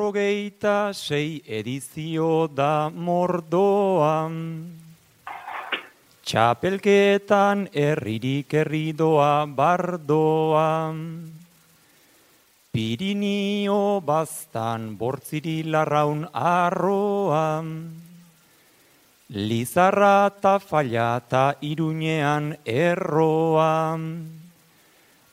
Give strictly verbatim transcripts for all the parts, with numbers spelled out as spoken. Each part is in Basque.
Irurogeita sei edizio da mordoan, txapelketan herririk herridoa bardoan, Pirinio baztan bortziri larraun arroan, Lizarra ta falla ta Iruñean erroan,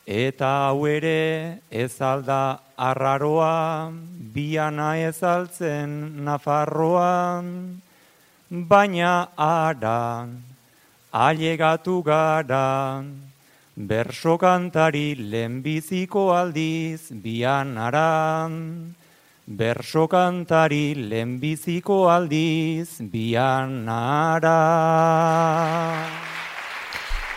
eta hau ere ez alda arraroa, biana ez altzen Nafarroan, baina ara, ailegatu gara, berso kantari lehenbiziko aldiz bianaran, berso kantari lehenbiziko aldiz bianara.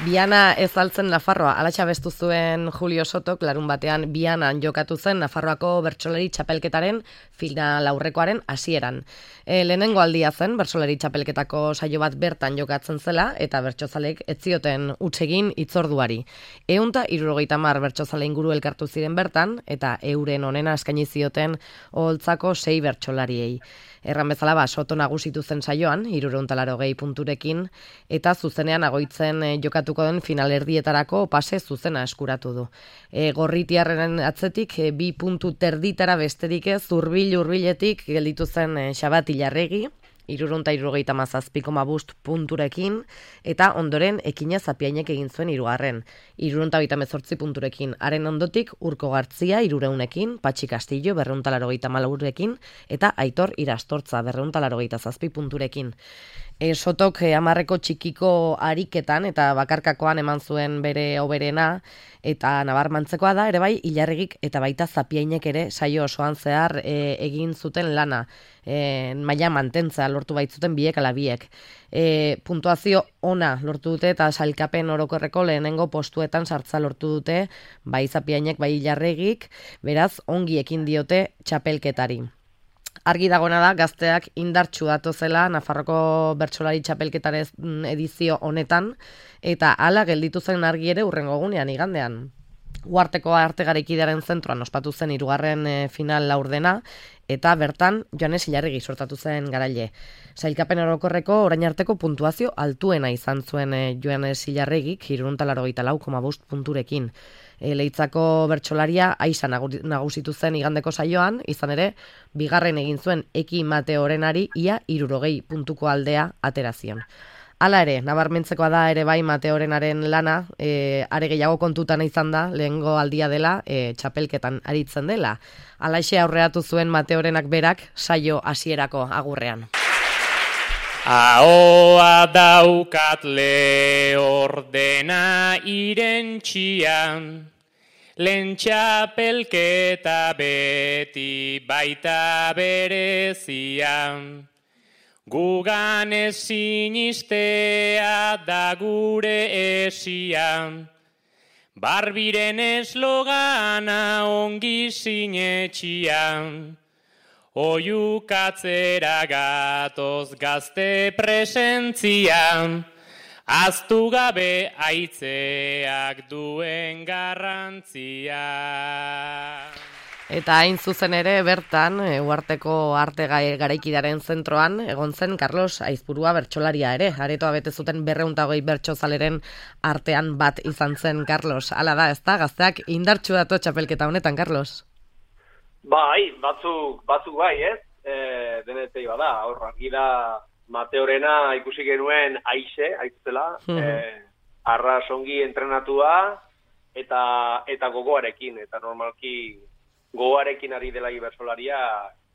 Biana ez altzen Nafarroa, alatxa bestu zuen Julio Sotok, larun batean Bianan jokatu zen Nafarroako bertsolari txapelketaren final aurrekoaren hasieran. E, lehenengo aldia zen bertsolari txapelketako saio bat bertan jokatzen zela eta bertsozalek ez zioten huts egin hitzorduari. Ehunta hirurogeita hamar bertsozale inguru elkartu ziren bertan eta euren onena eskaini zioten oholtzako sei bertsolariei. Erran bezala ba, Soto nagusitu zen saioan, hirurehun eta laurogei punturekin, eta zuzenean agoitzen e, jokatuko den finalerdietarako pase zuzena eskuratu du. E, gorritiarren atzetik, e, bi puntu terditara besterik ez, hurbil-hurbiletik gelditu zen e, Xabat Ilarregi, hirurehun eta hirurogeita hamazazpi koma bost punturekin, eta ondoren Ekina Zapiainek egin zuen hirugarren, hirurehun eta hogeita hemezortzi punturekin. Haren ondotik Urko Gartzia hirurehunrekin, Patxi Castillo berrehun eta laurogeita hamalaurekin, eta Aitor Irastortza berrehun eta laurogeita zazpi punturekin. E, Sotok e, hamarreko txikiko ariketan eta bakarkakoan eman zuen bere hoberena, eta nabarmantzekoa da, ere bai, Ilarregik eta baita Zapiainek ere saio osoan zehar e, egin zuten lana, e, maila mantentza lortu baitzuten biek ala biek. E, puntuazio ona lortu dute eta sailkapen orokorreko lehenengo postuetan sartza lortu dute, bai Zapiainek, bai Ilarregik, beraz ongi ekin diote txapelketari. Argi dagona da, gazteak indartsu datozela Nafarroko bertsolari txapelketaren edizio honetan, eta hala gelditu zen argi ere hurrengo egunean igandean. Uharteko arte garaikidearen zentroan ospatu zen hirugarren e, final laurdena, eta bertan Joanes Ilarregi sortatu zen garaile. Sailkapen orokorreko orain arteko puntuazio altuena izan zuen e, Joanes Ilarregik, hirurehun eta laurogeita lau koma bost punturekin. E, Leitzako bertsolaria aisa nagusitu zen igandeko saioan, izan ere, bigarren egin zuen Eki Mateorenari ia hirurogei puntuko aldea aterazion. Hala ere, nabarmentzekoa da ere bai Mateorenaren lana, e, are gehiago kontutan izan da, lehengo aldia dela, e, txapelketan aritzen dela. Halaxe aurreatu zuen Mateorenak berak saio hasierako agurrean. Ahoa daukat lehordena irentxian, lehen txapelketa beti baita berezian. Gugan ezin istea da gure esian, barbiren eslogana ongi sinetxian. Oiukatzera gatoz gazte presentzian, aztu gabe aitzeak duen garrantzia. Eta hain zuzen ere bertan, Uharteko arte garaikidaren zentroan, egon zen Carlos Aizpurua bertsolaria ere. Aretoa bete zuten berrehun eta hogei bertsozaleren artean bat izan zen Carlos. Hala da, ezta? Gazteak indartsu dato txapelketa honetan, Carlos? Bai, batzuk, batzuk bai, ez? E, denetei bada, hor, argi da Mateorena ikusi genuen aixe, aitzela, mm-hmm. e, arras ongi entrenatua eta, eta gogoarekin, eta normalki gogoarekin ari dela bertsolaria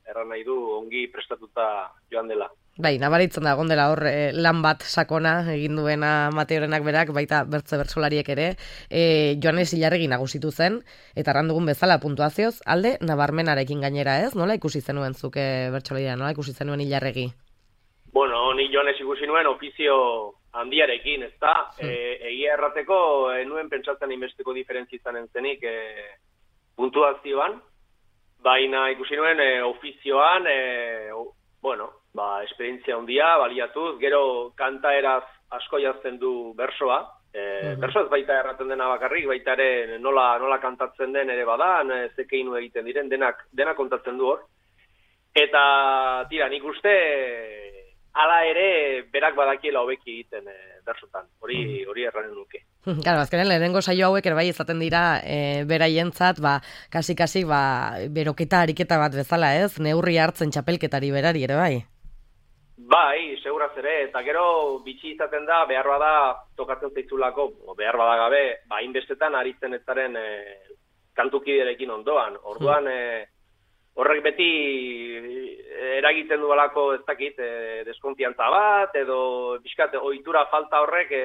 erran nahi du ongi prestatuta joan dela. Bai, nabaritzen da, gondela hor eh, lan bat sakona egin duena Mateorenak berak, baita bertze bertsolariek ere, eh, Joanes Ilarregi nagusitu zen, eta errandugun bezala puntuazioz, alde nabarmenarekin gainera ez? Nola ikusi zenuen zuke bertsolaria, nola ikusi zenuen Ilarregi? Bueno, ni Joanes ikusi nuen ofizio handiarekin, ez da? Hmm. E, egia errateko, e, nuen pentsatzen inbesteko diferentzi izanen zenik e, puntuazioan, baina ikusi nuen e, ofizioan, e, o, bueno, ba, esperientzia handia, baliatuz, gero kantaeraz asko jazten du bersoa, e, uh-huh. bersoaz baita erraten dena bakarrik, baita ere nola, nola kantatzen den ere badan, zekeinu egiten diren, denak, denak kontatzen du hor, Eta, tira, nik uste, hala ere, berak badakiela hobeki egiten e, bersotan, hori hori erranen nuke. Claro, azkenen lehenengo saio hauek ere bai izaten dira e, beraientzat, ba, kasi-kasi, ba, beroketa ariketa bat bezala, ez? Neurri hartzen txapelketari berari ere bai? Bai, seguraz ere, eta gero bitxi izaten da, behar bada tokatzen zeitzulako, behar bada gabe, ba, inbestetan aritzen ezaren e, kantukiderekin ondoan. Orduan, e, horrek beti eragiten duelako ez dakit, e, deskonfiantza bat, edo bizkat, ohitura falta horrek e,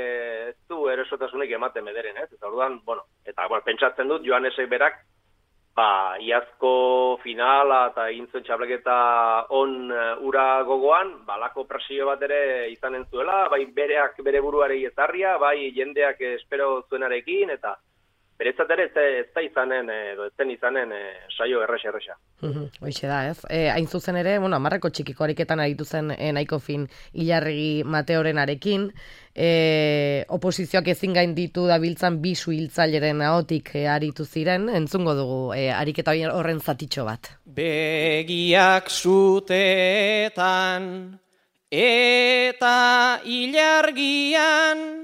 ez du erosotasunik ematen bederen, ez? Eta orduan, bueno, eta bueno, pentsatzen dut, Joanesek berak, ba, iazko finala eta egin zuen txapleketa on ura gogoan, balako presio bat ere izanen zuela, bai bereak bere buruarei ezarria, bai jendeak espero zuenarekin, eta beretzat ere ez da izanen, edo ez zen izanen e, saio errexa-errexa. Hoixe da, ez? E, hain zuzen ere, bueno, amarreko txikiko ariketan aritu zen e, nahiko fin Ilarregi Mateorenarekin, e, oposizioak ezin gainditu dabiltzan bi suhiltzaileren ahotik e, aritu ziren, entzungo dugu e, ariketa horren zatitxo bat. Begiak zutetan eta ilargian,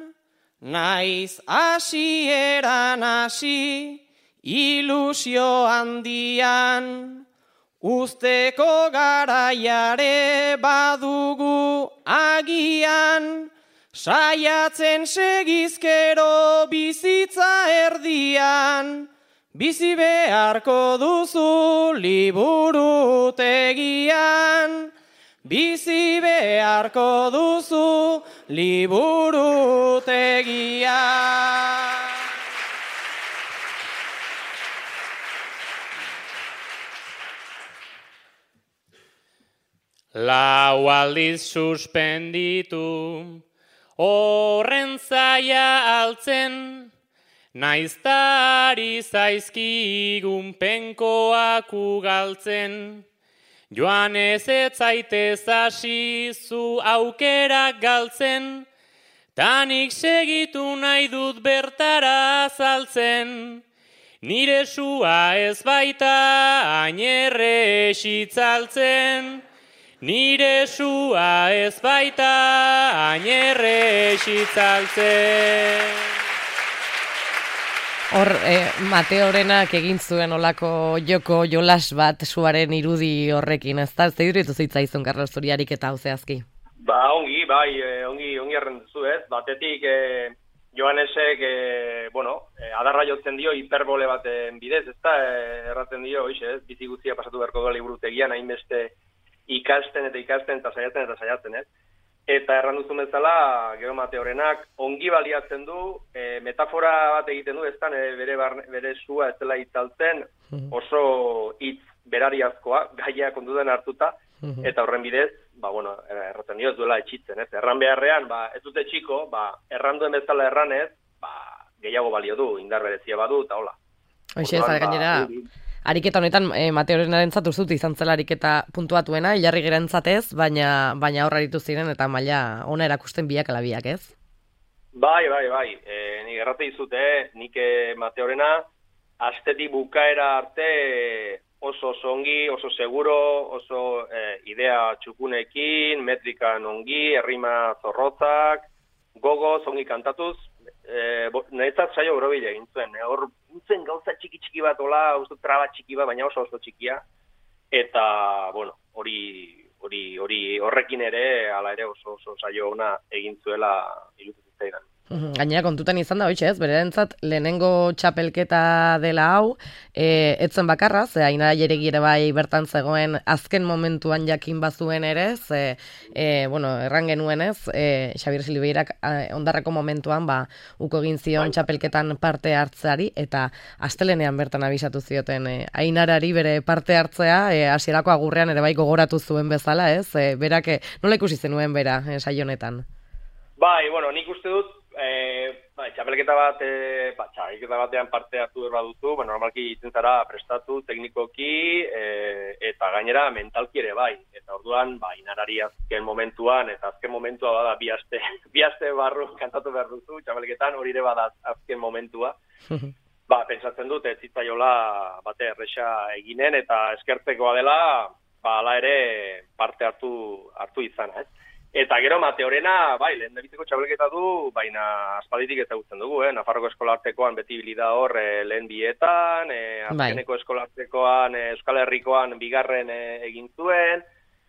naiz hasieran hasi, ilusio handian, usteko garaiare badugu agian, saiatzen segizkero bizitza erdian, bizi beharko duzu liburutegian, bizi beharko duzu liburutegia. Lau aldiz suspenditu, horren zaia altzen, naiztari zaizkigun penkoak ugaltzen. Joan ez etzaitez hasi zu aukerak galtzen, tanik segitu nahi dut bertara azaltzen. Nire sua ez baita ainerre esitzaltzen, nire sua ez baita ainerre esitzaltzen. Hor, eh, Mateorenak egin zuen olako joko jolas bat suaren irudi horrekin, ez da? Ez da iduritu zitzaizun, Carlos Zuriarik eta hau zehazki? Ba, ongi, bai, eh, ongi, ongi errenduzu, ez? Batetik, eh, Joanesek, eh, bueno, eh, adarra jotzen dio hiperbole baten bidez, ez da? Eh, erraten dio, oixe, ez? Bizi guztia pasatu beharko da liburutegian, hainbeste ikasten eta ikasten eta saiatzen eta saiatzen, ez? Eta erranduzun bezala, gero Mateorenak ongi baliatzen du, e, metafora bat egiten du, ez da, bere, barne, bere sua ez dela itzaltzen, oso hitz berariazkoa, gaia kontutan hartuta, eta horren bidez, ba, bueno, erraten dio ez duela etxitzen, ez? Erran beharrean, ba, ez dute txiko, ba, erranduen bezala erranez, ba, gehiago balio du, indar berezia badu, eta hola. Hoxe, ez gainera, ariketa honetan e, Mateorenarentzat uste dut izan zela ariketa puntuatuena, Ilarrigerentzat baina baina hor aritu ziren eta maila ona erakusten biak ala biak, ez? Bai, bai, bai. E, nik errate dizute, nik Mateorena astetik bukaera arte oso oso ongi, oso seguro, oso e, idea txukunekin, metrikan ongi, errima zorrotzak, gogoz ongi kantatuz, e, nahitzat saio borobile egin zuen. E, hor zen gauza txiki-txiki bat, hola, uste traba txiki bat, baina oso oso txikia. Eta, bueno, hori hori hori horrekin ere, hala ere oso oso saio ona egin zuela iruditzen zitzaidan. Gainera kontutan izan da, hoitxe ez, berentzat lehenengo txapelketa dela hau, e, etzen bakarra, ze Ainara Jairegi ere bai bertan zegoen azken momentuan jakin bazuen ere, ze, e, bueno, erran genuen ez, e, Xabier Silveirak ondarreko momentuan, ba, uko egin zion txapelketan parte hartzeari, eta astelenean bertan abisatu zioten e, Ainarari bere parte hartzea, e, hasierako agurrean ere bai gogoratu zuen bezala, ez, e, berak, e, nola ikusi zenuen bera, e, saio honetan? Bai, bueno, nik uste dut, E, ba, txapelketa bat, e, ba, txapelketa batean parte hartu erra duzu, ba, normalki itzen zara prestatu teknikoki e, eta gainera mentalki ere bai. Eta orduan, ba, Ainarari azken momentuan, eta azken momentua bada bi aste, bi aste barru kantatu behar duzu, txapelketan hori ere bada azken momentua. Ba, pentsatzen dut, ez zitzaiola bate erresa eginen, eta eskertzekoa dela, ba, ala ere parte hartu, hartu izana, ez? Eta gero Mateorena, bai, lehen dabizeko txapelketa du, baina aspalditik ezagutzen dugu, eh? Nafarroko eskolartekoan beti bilida hor eh, lehen bietan, eh, azkeneko bai. Eskolartekoan, eh, Euskal Herrikoan bigarren eh, egin zuen,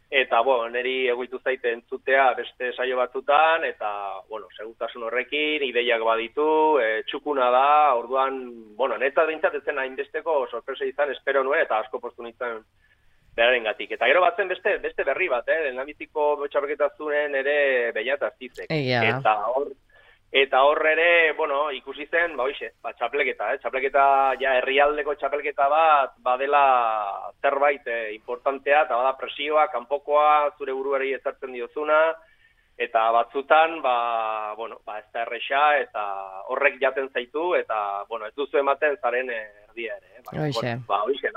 eta, bueno, niri egoitu zaite entzutea beste saio batzutan, eta, bueno, segurtasun horrekin, ideiak baditu, e, txukuna da, orduan, bueno, neta bintzat etzen hainbesteko sorpresa izan, espero nuen, eta asko postu nintzen berarengatik. Eta gero batzen beste beste berri bat, eh, lehendabiziko txapelketazunen ere Beñat Aztizek. Eta hor, eta hor ere, bueno, ikusi zen, ba hoize, ba txapelketa, eh, txapelketa ja herrialdeko txapelketa bat badela zerbait eh, importantea, eta bada presioa, kanpokoa, zure buruari ezartzen diozuna, eta batzutan, ba, bueno, ba ez da erresa, eta horrek jaten zaitu, eta, bueno, ez duzu ematen zaren erdia ere. Eh, ba, hoize. Bueno, ba, hoize,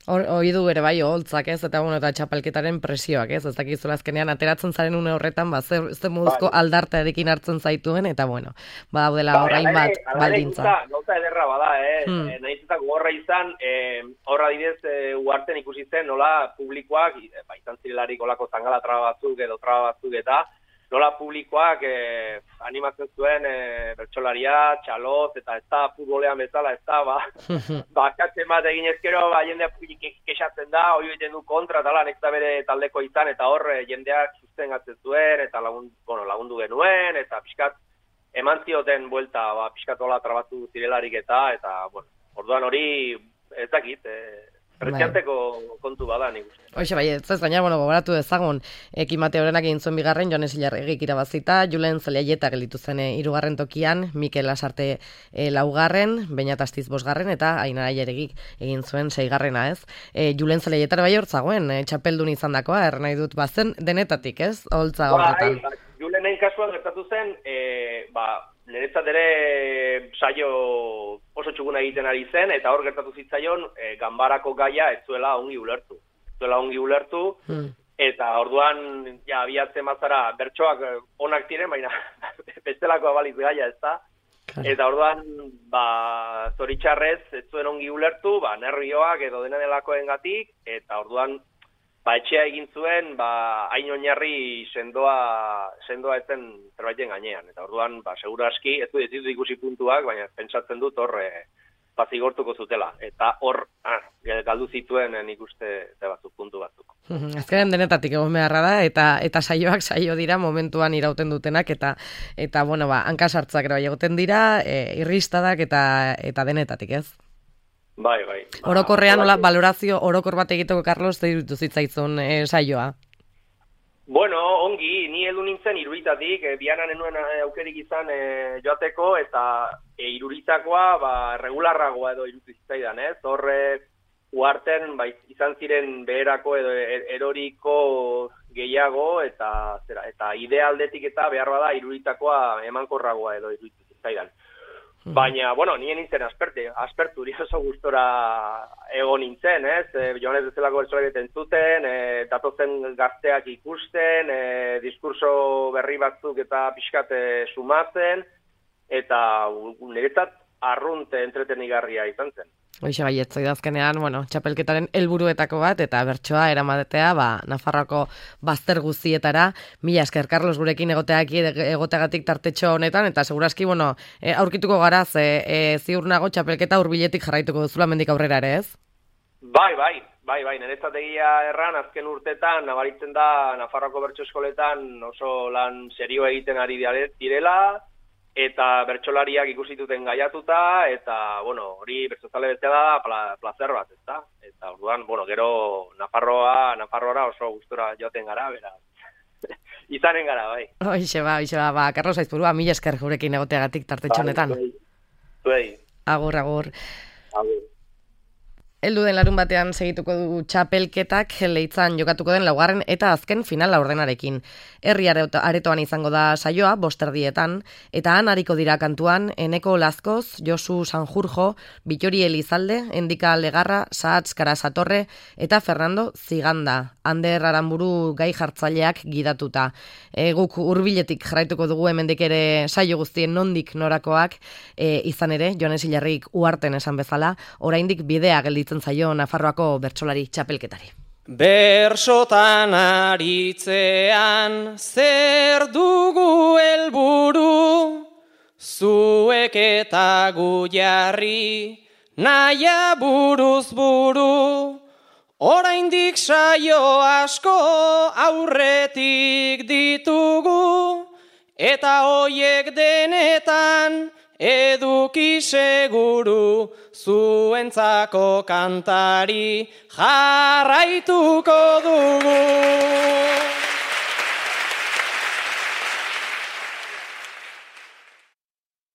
Hoi du ere bai oholtzak, ez, eta bueno, eta txapelketaren presioak, ez, ez dakizula azkenean ateratzen zaren une horretan, ba, ze, ze moduzko bai. Aldartearekin hartzen zaituen, eta bueno, ba, daudela bai, horrein bat baldintza. Gauza ederra bada, eh, hmm. nahiz eta gogorra izan, eh, horra didez, eh, uarten ikusi zen, nola publikoak, ba, izan zirelarik olako zangala traba batzuk edo traba batzuk eta, nola publikoak eh, animatzen zuen eh, bertsolaria, txaloz, eta ez da futbolean bezala, ez da, ba, bakatzen bat egin ezkero, ba, jendea kexatzen da, hori egiten du kontra, tala, nek da bere taldeko izan, eta hor eh, jendeak sustengatzen zuen, eta lagundu, bueno, lagundu genuen, eta pixkat eman zioten buelta, ba, pixkat hola trabatu zirelarik eta, eta, bueno, orduan hori ez dakit, eh, Presianteko kontu bada, nik uste. Hoxe, bai, ez ez gaina, bueno, gogoratu dezagun, Eki Mateorenak egin zuen bigarren, Jones Ilarregik irabazita, Julen Zelaieta gelitu zen hirugarren tokian, Mikel Lasarte e, laugarren, Beñat Astiz bosgarren, eta Ainara Aileregik egin zuen seigarrena, ez? E, Julen Zelaieta bai hortzagoen, e, txapeldun izan dakoa, er nahi dut, bazen denetatik, ez? Holtza horretan. Ba, Julenen kasuan gertatu zen, e, ba, niretzat ere saio oso txuguna egiten ari zen, eta hor gertatu zitzaion e, ganbarako gaia ez zuela ongi ulertu. Ez zuela ongi ulertu, hmm. eta orduan ja, abiatzen mazara bertsoak onak ziren, baina bestelako abaliz gaia ez da. Eta orduan, ba, zoritxarrez ez zuen ongi ulertu, ba, nervioak edo dena delakoengatik, eta orduan ba, etxea egin zuen, ba, hain oinarri sendoa, sendoa etzen zerbaiten gainean. Eta orduan, ba, segura aski, ez du ez ditut ikusi puntuak, baina pentsatzen dut hor e, pazigortuko zutela. Eta hor, ah, galdu zituen nik uste ze batzuk, puntu batzuk. Azkenean denetatik egon beharra da, eta eta saioak saio dira momentuan irauten dutenak, eta, eta bueno, ba, hankasartzak ere bai egoten dira, e, irristadak eta, eta denetatik, ez? Bai, bai. Orokorrean, nola, balorazio orokor bat egiteko, Carlos, ze iruditu zitzaitzun e, saioa? Bueno, ongi, ni heldu nintzen iruritatik, e, bianan enuen aukerik izan e, joateko, eta e, iruritakoa, ba, regularragoa edo iruditu zitzaidan, ez? Horre, uarten, ba, izan ziren beherako edo eroriko gehiago, eta, zera, eta idealdetik eta behar bada iruritakoa emankorragoa edo iruditu zitzaidan. Baina, bueno, nien nintzen aspertu, aspertu, oso gustora egon nintzen, ez? E, Joanez bezalako bertsolari entzuten, e, datozen gazteak ikusten, e, diskurso berri batzuk eta pixkat e, sumatzen, eta niretzat arrunt entretenigarria izan zen. Hoxe bai, etzoi dazkenean, bueno, txapelketaren helburuetako bat, eta bertsoa eramatea, ba, Nafarroako bazter guztietara, mila esker, Carlos, gurekin egoteak, egoteagatik tartetxo honetan, eta seguraski, bueno, e, aurkituko gara, ze e, ziur nago txapelketa hurbiletik jarraituko duzula mendik aurrera ere, ez? Bai, bai, bai, bai, niretzategia erran, azken urtetan, nabaritzen da, Nafarroako bertso eskoletan oso lan serioa egiten ari direla, eta bertsolariak ikusituten gaiatuta, eta, bueno, hori bertzozale betzea da pla, plazer bat, ezta? Eta, orduan, bueno, gero Nafarroa, Nafarroara oso gustura joaten gara, beraz. Izanen gara, bai. Hoixe ba, hoixe ba, ba, Carlos Aizpurua, mila esker gurekin egoteagatik tartetxonetan. Bai, bai. Agur, agur. Agur. Heldu den larun batean segituko du txapelketak Leitzan jokatuko den laugarren eta azken final laurdenarekin. Herri aretoan izango da saioa, bosterdietan, eta han hariko dira kantuan Eneko Lazkoz, Josu Sanjurjo, Bitori Elizalde, Endika Legarra, Sahatz Karasatorre eta Fernando Ziganda. Ander Aramburu gai jartzaileak gidatuta. E, guk hurbiletik jarraituko dugu hemendik ere saio guztien nondik norakoak, e, izan ere, Joanes Ilarrik uarten esan bezala, oraindik bidea gelditzen zaio Nafarroako bertsolari txapelketari. Bersotan aritzean zer dugu helburu, zuek eta gu jarri naia buruz buru. Oraindik saio asko aurretik ditugu, eta hoiek denetan eduki seguru, zuentzako kantari jarraituko dugu.